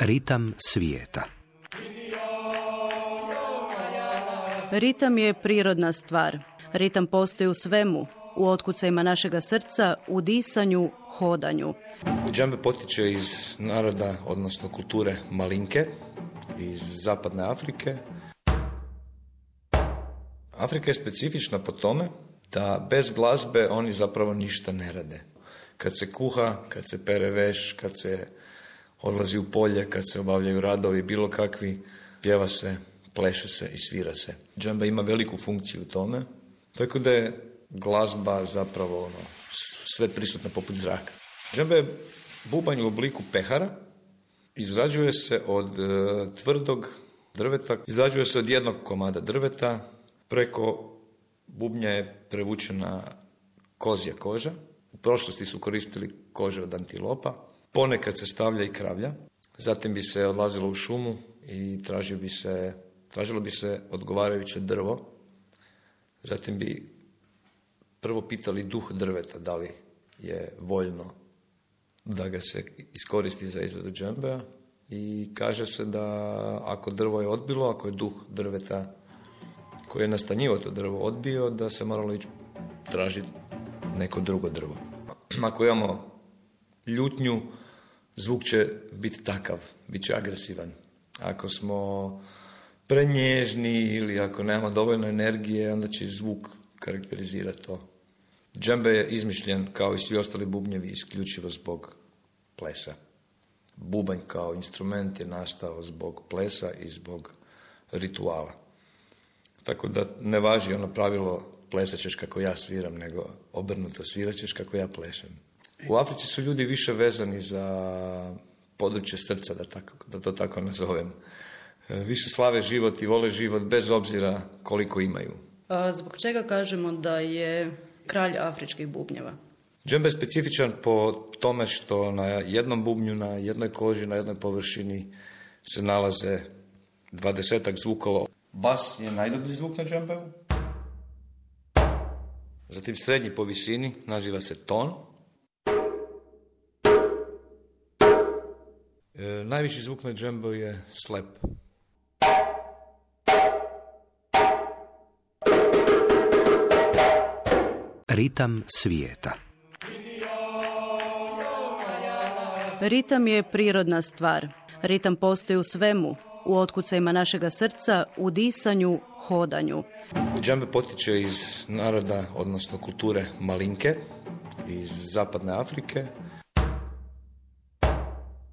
Ritam svijeta. Ritam je prirodna stvar. Ritam postoji u svemu, u otkucajima našega srca, u disanju, hodanju. Džembe potiče iz naroda, odnosno kulture Malinke, iz zapadne Afrike. Afrika je specifična po tome da bez glazbe oni zapravo ništa ne rade. Kad se kuha, kad se pere veš, kad se odlazi u polje, kad se obavljaju radovi, bilo kakvi, pjeva se, pleše se i svira se. Džembe ima veliku funkciju u tome, tako da je glazba zapravo sve prisutna poput zraka. Džembe je bubanj u obliku pehara, izrađuje se od tvrdog drveta, izrađuje se od jednog komada drveta, preko bubnja je prevučena kozja koža, u prošlosti su koristili kože od antilopa, ponekad se stavlja i kravlja, zatim bi se odlazilo u šumu i tražilo bi se odgovarajuće drvo, zatim bi prvo pitali duh drveta da li je voljno da ga se iskoristi za izradu džembea i kaže se da ako drvo je odbilo, ako je duh drveta koji je nastanjivao to drvo odbio, da se moralo ići tražiti neko drugo drvo. Ako imamo ljutnju, zvuk će biti takav, bit će agresivan. Ako smo prenježni ili ako nemamo dovoljno energije, onda će zvuk karakterizirati to. Džembe je izmišljen kao i svi ostali bubnjevi isključivo zbog plesa. Bubanj kao instrument je nastao zbog plesa i zbog rituala. Tako da ne važi ono pravilo plesat ćeš kako ja sviram, nego obrnuto svirat ćeš kako ja plešem. U Africi su ljudi više vezani za područje srca, da to tako nazovem. Više slave život i vole život bez obzira koliko imaju. Zbog čega kažemo da je kralj afričkih bubnjeva? Džembe je specifičan po tome što na jednom bubnju, na jednoj koži, na jednoj površini se nalaze 20 zvukova. Bas je najdublji zvuk na džembeu. Zatim srednji po visini naziva se ton. Najviši zvuk na džembeu je slep. Ritam svijeta. Ritam je prirodna stvar. Ritam postoji u svemu, u otkucajima našega srca, u disanju, hodanju. Džembe potiče iz naroda, odnosno kulture Malinke, iz zapadne Afrike.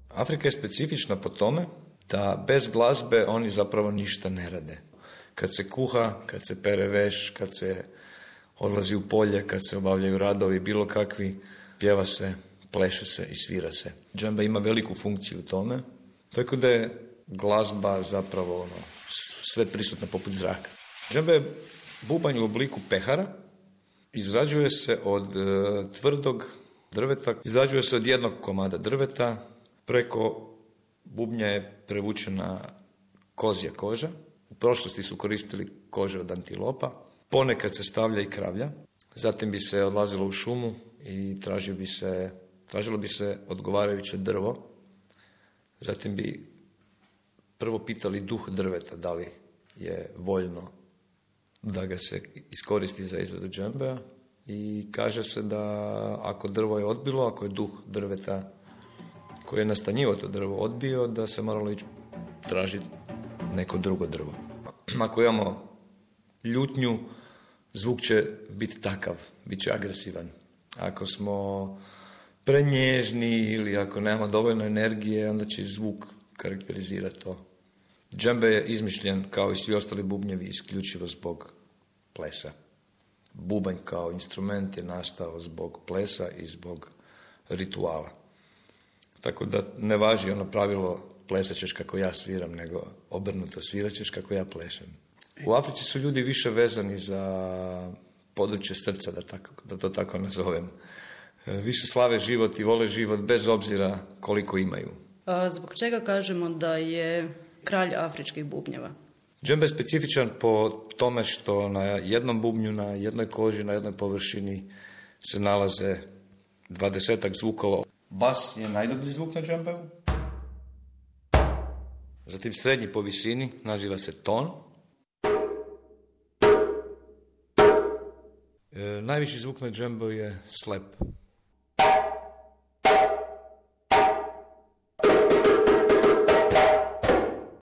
Afrika je specifična po tome da bez glazbe oni zapravo ništa ne rade. Kad se kuha, kad se pere veš, kad se odlazi u polje, kad se obavljaju radovi, bilo kakvi, pjeva se, pleše se i svira se. Džembe ima veliku funkciju u tome, tako da je glazba zapravo sve prisutna poput zraka. Džembe je bubanj u obliku pehara, izrađuje se od tvrdog drveta, izrađuje se od jednog komada drveta, preko bubnja je prevučena kozja koža, u prošlosti su koristili kože od antilopa, ponekad se stavlja i kravlja, zatim bi se odlazilo u šumu i tražilo bi se odgovarajuće drvo, zatim bi prvo pitali duh drveta da li je voljno da ga se iskoristi za izradu džembea i kaže se da ako drvo je odbilo, ako je duh drveta koji je nastanjivao to drvo odbio, da se moralo ići tražiti neko drugo drvo. Ako imamo ljutnju, zvuk će biti takav, bit će agresivan. Ako smo prenježni ili ako nemamo dovoljno energije, onda će zvuk karakterizirati to. Džembe je izmišljen kao i svi ostali bubnjevi isključivo zbog plesa. Bubanj kao instrument je nastao zbog plesa i zbog rituala. Tako da ne važi ono pravilo plesat ćeš kako ja sviram, nego obrnuto svirat ćeš kako ja plešem. U Africi su ljudi više vezani za područje srca, da to tako nazovem. Više slave život i vole život bez obzira koliko imaju. Zbog čega kažemo da je kralj afričkih bubnjeva? Džembe je specifičan po tome što na jednom bubnju, na jednoj koži, na jednoj površini se nalaze 20 zvukova. Bas je najdublji zvuk na džembeu. Zatim srednji po visini naziva se ton. Najviši zvuk na džembu je slep.